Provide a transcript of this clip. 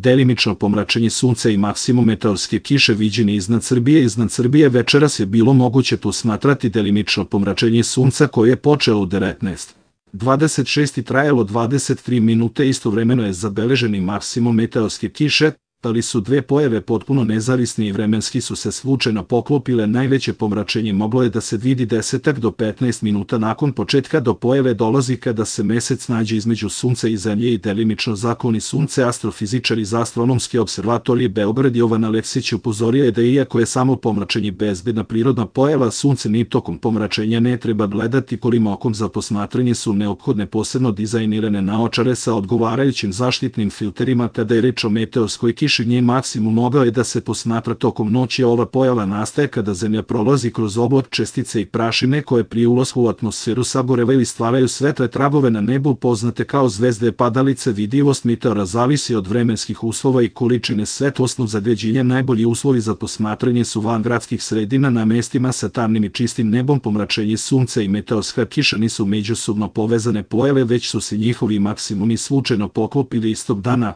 delimično pomračenje sunca i maksimum meteorske kiše viđeni iznad Srbije. Iznad Srbije večeras je bilo moguće posmatrati delimično pomračenje sunca koje je počelo u 19:26 i trajalo 23 minute. Istovremeno je zabeležen i maksimum meteorske kiše, ali su dve pojave potpuno nezavisne i vremenski su se slučajno poklopile. Najveće pomračenje moglo je da se vidi 10 do 15 minuta nakon početka. Do pojave dolazi kada se mesec nađe između sunca i zemlje i delimično zakloni sunce. Astrofizičar iz Astronomske observatorije Beograd Jovan Aleksić upozorio je da iako je samo pomračenje bezbedna prirodna pojava, sunce ni tokom pomračenja ne treba gledati golim okom. Za posmatranje su neophodne posebno dizajnirane naočare sa odgovarajućim zaštitnim filterima. Kada je reč o meteorskoj kiši, njen maksimum mogao je da se posmatra tokom noći. Ova pojava nastaje kada Zemlja prolazi kroz oblak čestice i prašine koje pri ulasku u atmosferu sagorevaju i stvaraju svetle tragove na nebu poznate kao zvezde padalice. Vidljivost meteora zavisi od vremenskih uslova i količine svetlosnog zagađenja. Najbolji uslovi za posmatranje su van gradskih sredina na mestima sa tamnim i čistim nebom. Pomračenje sunca i meteorska kiša nisu međusobno povezane pojave, već su se njihovi maksimumi slučajno poklopili istog dana.